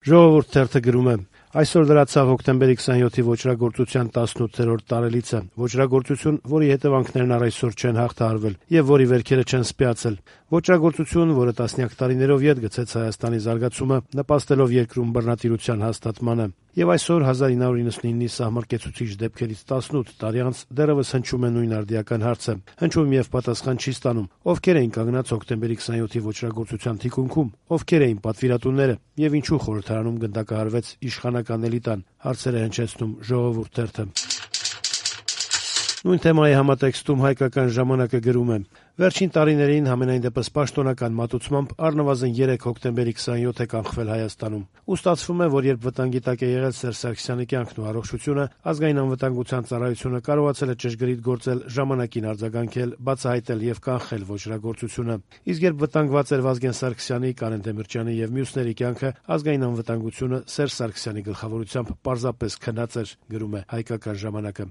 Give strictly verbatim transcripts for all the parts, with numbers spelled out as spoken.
Ժողովուրդ թերթը գրում է. այսօր լրացավ հոկտեմբերի քսանյոթի ոճրագործության տասնութերորդ տարելիցը, ոճրագործություն, որի հետևանքներն առ այսօր չեն հաղթահարվել եւ որի վերքերը չեն սպյացել, ոճրագործություն, որը տասնյակ տարիներով ետ գցեց Հայաստանի զարգացումը, նպաստելով երկրում բռնատիրության հաստատմանը։ Եվ այսօր հազար ինը հարյուր իննսունինի սահմռկեցուցիչ դեպքերից տասնութ տարի անց դեռևս հնչում է նույն արդիական հարցը, հնչում եւ պատասխան չի ստանում. ովքեր էին կանգնած հոկտեմբերի քսանյոթի ոճրագործության թիկունքում, ովքեր էին պատվիրատուները եւ ինչու խորհրդարանում գնդակահարվեց իշխանական էլիտան, հարցեր է հնչեցնում Ժողովուրդ թերթը։ Նույն թեմայի համատեքստում հայկական ժամանակը գրում է. վերջին տարիներին համենայն դեպս պաշտոնական մատուցմամբ առնվազն երեք հոկտեմբերի քսանյոթ է կանխվել Հայաստանում։ Ու ստացվում է, որ երբ վտանգի տակ է եղել Սերժ Սարգսյանի կյանքն ու առողջությունը, ազգային անվտանգության ծառայությունը կարողացել է ճշգրիտ գործել, ժամանակին արձագանքել, բացահայտել եւ կանխել ոճրագործությունը։ Իսկ երբ վտանգված էր Վազգեն Սարգսյանի, Կարեն Դեմիրճյանի եւ մյուսների կյանքը, ազգային անվտանգությունը Սերժ Սարգսյանի գլխավորությամբ պարզապես քնած էր, գրում է հայկական ժամանակը։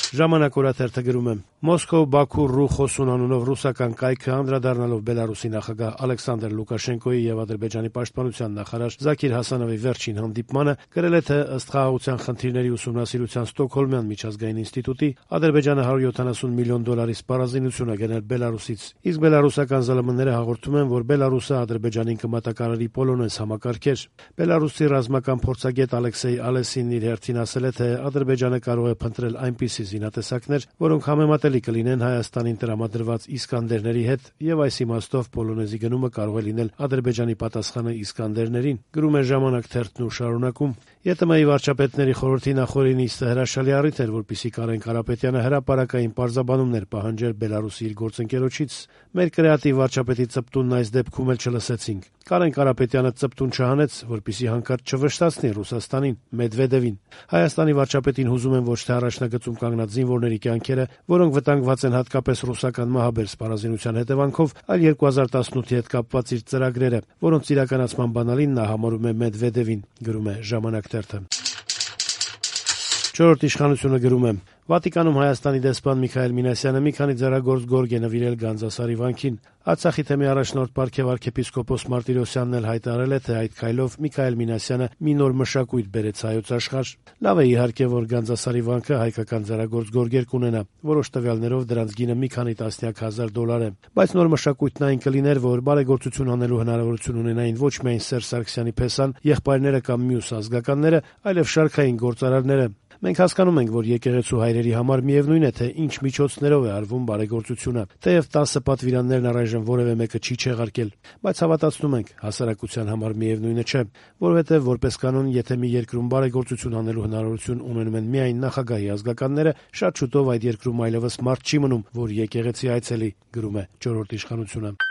Ժամանակ օրաթերթը գրում է. Մոսկով, Բաքու, Ռու խոսուն անունով ռուսական կայքը անդրադառնալով Բելարուսի նախագահ Ալեքսանդր Լուկաշենկոյի եւ Ադրբեջանի պաշտպանության նախարար Զաքիր Հասանովի վերջին հանդիպմանը գրել է, թե ըստ խաղաղության խնդիրների ուսումնասիրության Ստոկհոլմյան միջազգային ինստիտուտի Ադրբեջանը հարյուր յոթանասուն միլիոն դոլարի սպառազինություն է գնել Բելարուսից, իսկ բելարուսական ԶԼՄ-ները հաղորդում են, որ Բելարուսը Ադրբեջանին կմատակարարի պոլոնез համակարգեր։ Բելարուսի ռազմական փորձագետ Ալեքսեյ Ալեսինն իր հերթին ասել է, թե Ադրբեջանը կարող է փնտրել այնպիսի զինատեսակներ, որոնք համեմատելի կլինեն Հայաստանին տրամադրված Իսկանդերների հետ, եւ այս իմաստով պոլոնեզի գնումը կարող է լինել Ադրբեջանի պատասխանը Իսկանդերներին, գրում է Ժամանակ թերթն ու շարունակում. ԵՏՄ-ի վարչապետների խորհրդի նախօրինի նիստը հրաշալի առիթ էր, որպեսզի Կարեն Կարապետյանը հրապարակային պարզաբանումներ պահանջեր Բելարուսի իր գործընկերոջից։ Մեր կրեատիվ վարչապետի ծպտունն այս դեպքում էլ չլսեցինք։ Կարեն Կարապետյանը ծպտուն չհանեց, որպեսզի հանկարծ չվշտացնի Ռուսաստանին, Մեդվեդևին։ Հայաստանի վարչապետին հուզում են ոչ թե առաջնագծում կանգնած զինվորների կյանքերը, որոնք վտանգված են հատկապես ռուսական մահաբեր սպառազինության հետևանքով, այլ երկու հազար տասնութի հետ կապված իր ծրագրերը, որոնց իրականացման բանալին նա համարում է Մեդվեդևին, գրում է Ժամանակ թերթը։ Չորրորդ իշխանությունը գրում է. Վատիկանում Հայաստանի դեսպան Միքայել Մինասյանը մի քանի ձեռագործ գորգ է նվիրել Գանձասարի վանքին։ Արցախի թեմի առաջնորդ պարգև arczepiskopos Մարտիրոսյանն էլ հայտարարել է, թե այդ քայլով Միքայել Մինասյանը մի նոր մշակույթ բերեց հայոց աշխարհ։ Լավ է իհարկե, որ Գանձասարի վանքը հայկական ձեռագործ գորգեր կունենա, որոշ տվյալներով դրանց գինը մի քանի տասնյակ հազար դոլար է։ Բայց նոր մշակույթն այն կլիներ, որ բարեգործություն անելու հնարավորություն ունենային ոչ միայն Սերժ Սարգսյանի փեսան, եղբայրները կամ մյուս ազգականները, այլև շարքային գործարարները։ Մենք հասկանում ենք, որ եկեղեցու հայրերի համար միևնույն է, թե ինչ միջոցներով է արվում բարեգործությունը, թեև տասը պատվիրաններն առայժմ որևէ մեկը չի չեղարկել, բայց հավատացնում ենք, հասարակության համար միևնույնը չէ, որովհետև որպես կանոն, եթե մի երկրում բարեգործություն անելու հնարավորություն ունենում են միայն նախագահի ազգականները, շատ շուտով այդ երկրում այլևս մարդ չի մնում, որ եկեղեցի այցելի, գրում է Չորրորդ իշխանությունը։